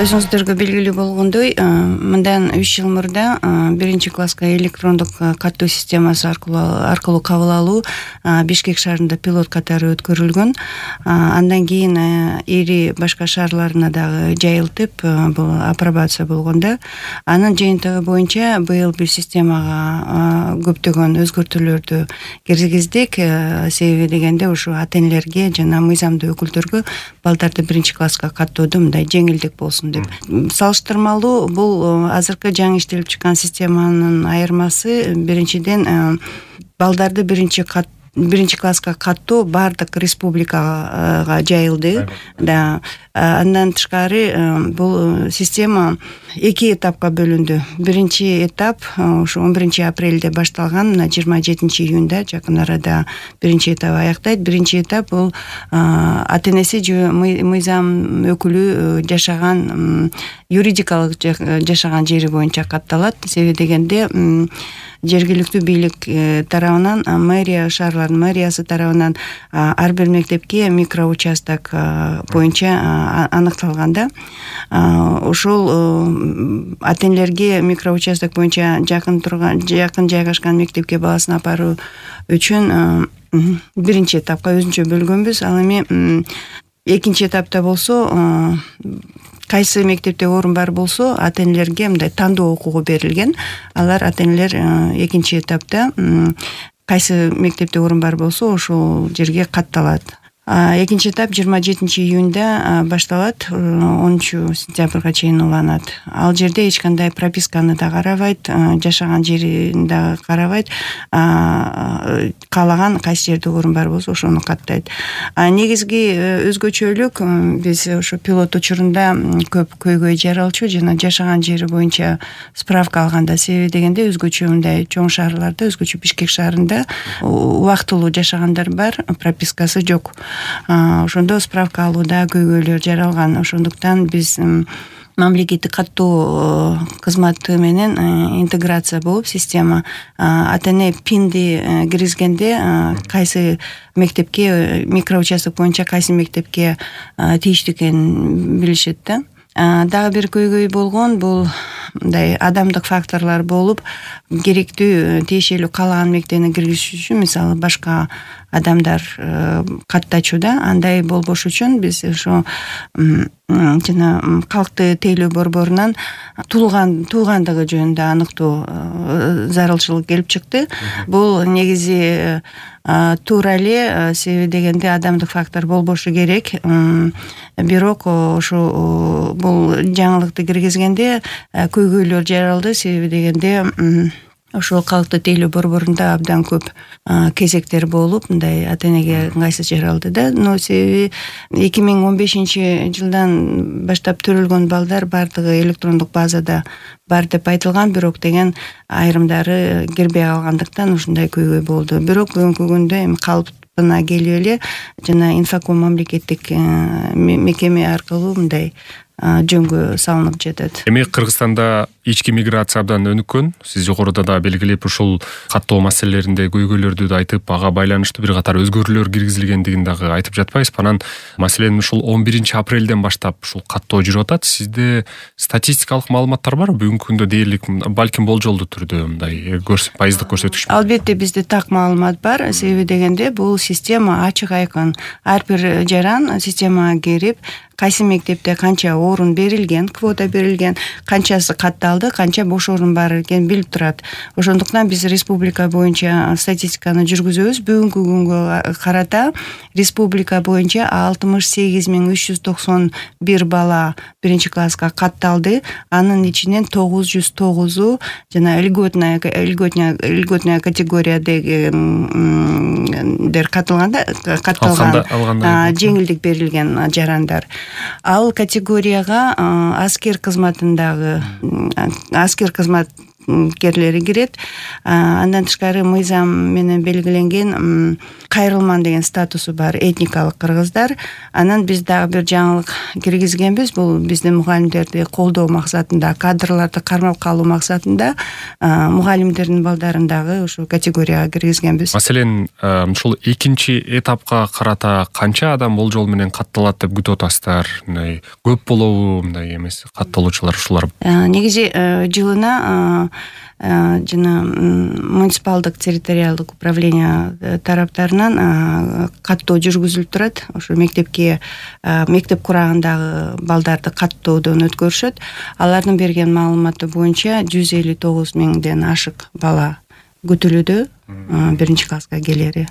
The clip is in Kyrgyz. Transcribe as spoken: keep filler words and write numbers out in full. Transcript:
Өзүңүздөргө белгилүү болгондой, мындан үч жыл мурда биринчи класска электрондук каттоо системасы аркылуу аркылуу кабыл алуу Бишкек шаарында пилот катары өткөрүлгөн. Андан кийин ири башка шаарларына дагы жайылтып, бул апробация болгондо, анын жыйынтыгы боюнча быйыл бир системага көптөгөн өзгөртүүлөрдү киргиздик. Себеби дегенде ушу ата-энелерге жана мыйзамдуу өкүлдөргө балдарды биринчи класска каттоодо мындай жеңилдик болсун деп. Салыштырмалуу бул азыркы жаңы иштелип чыккан системанын айырмасы биринчиден балдарды биринчи кат биринчи класска каттоо бардык республикага жайылды. Да. Андан тышкары бул система эки этапка бөлүндү. Биринчи этап ушу он биринчи апрелде башталган, мына жыйырма жетинчи июнда жакын арада биринчи этап аяктайт. Биринчи этап бул ата-энеси же мыйзам өкүлү жашаган, юридикалык жашаган жери боюнча катталат. Себеби дегенде жергиликтүү бийлик тарабынан, мэрия, шаарлардын мэриясы тарабынан ар бир мектепке микроучасток боюнча аныкталганда, ошол ата-энелерге микроучасток боюнча жакын турган, жакын жайгашкан мектепке баласын апаруу үчүн биринчи этапка өзүнчө бөлгөнбүз. Ал эми экинчи этапта болсо, кайсы мектепте орун бар болсо, ата-энелерге мындай тандоо укугу берилген. Алар ата-энелер экинчи этапта кайсы мектепте орун бар болсо, ошол жерге катталат. Экинчи этап жыйырма жетинчи июнда башталат, онунчу сентябрга чейин уланат. Ал жерде эч кандай прописканы да карабайт, жашаган жерин да карабайт. Каалаган кайсы жерде орун бар болсо, ошону каттайт. Негизги өзгөчөлүк, биз ошо пилот учурунда көп көйгөй жаралчу жана жашаган жери боюнча справка алганда, себеби дегенде өзгөчө мындай чоң шаарларда, өзгөчө Бишкек шаарында убактылуу жашагандар бар, пропискасы жок. Ошондо справка алууда көйгөйлөр жаралган. Ошондуктан биз мамлекеттик каттоо кызматы менен интеграция болуп, система ата-эне пинди киргизгенде кайсы мектепке, микроучасток боюнча кайсы мектепке тийиштүү экенин билишет да. Дагы бир көйгөй болгон бул мындай адамдык факторлор болуп, керектүү тиешелүү каалаган мектебине киргизиш үчүн, мисалы, башка адамдар каттачу да. Андай болбош үчүн биз ошо жана калктуу тейлөө борборунан туулган туугандыгы жөнүндө аныктоо зарылчылык келип чыкты. Бул негизи туура эле, себеби дегенде адамдык фактор болбошу керек. Бирок ошо бул жаңылыкты киргизгенде көйгөйлөр жаралды, себеби дегенде ошол калктуу тейлөө борборунда абдан көп кезектер болуп, мындай ата-энеге ыңгайсыз жаралды да. Но себеби эки миң он бешинчи жылдан баштап төрөлгөн балдар бардыгы электрондук базада бар деп айтылган, бирок деген айрымдары кирбей калгандыктан ушундай көйгөй болду. Бирок бүгүнкү күндө эми калыпына келип эле жана Инфоком мамлекеттик мекеме аркылуу мындай жөнгө салынып жатат. Эми Кыргызстанда ички миграция абдан өнүккөн. Сиз жогоруда да белгилеп, ушул каттоо маселелеринде көйгөйлөрдү да айтып, ага байланыштуу бир катар өзгөрүүлөр киргизилгендигин дагы айтып жатпайсызбы? Анан маселен ушул он биринчи апрелден баштап ушул каттоо жүрүп атат. Сизде статистикалык маалыматтар барбы? Бүгүнкү күндө дээрлик, балким болжолдуу түрдө мындай пайыздык көрсөткүч? Албетте бизде так маалымат бар. Себеби дегенде бул система ачык айкын. Ар бир жаран системага кирип, кайсы мектепте канча орун берилген, квота берилген, канчасы катталды, канча бош орун бар экенин билип турат. Ошондуктан биз республика боюнча статистиканы жүргүзөбүз. Бүгүнкү күнгө карата республика боюнча алтымыш сегиз миң үч жүз токсон бир бала биринчи класска катталды. Анын ичинен тогуз жүз тогузу жана льготная льготная категориядагы дер катталганда, катталган, жеңилдик берилген жарандар. Ал категорияга аскер кызматындагы аскер кызмат кызматкерлери кирет. Андан тышкары мыйзам менен белгиленген кайрылман деген статусу бар этникалык кыргыздар. Анан биз дагы бир жаңылык киргизгенбиз. Бул биздин мугалимдерди колдоо максатында, кадрларды кармап калуу максатында мугалимдердин балдарын дагы ушул категорияга киргизгенбиз. Маселен, ушул экинчи этапка карата канча адам болжол менен катталат деп күтүп атасыздар? Мындай көп болобу, мындай эмес катталуучулар ушулар? Негизи жылына жана муниципалдык территориалдык управление тараптарынан каттоо жүргүзүлүп турат. Ошо мектепке мектеп курагындагы балдарды каттоодон өткөрүшөт. Алардын берген маалыматы боюнча жүз элүү тогуз миңден ашык бала күтүлүүдө биринчи класска келери.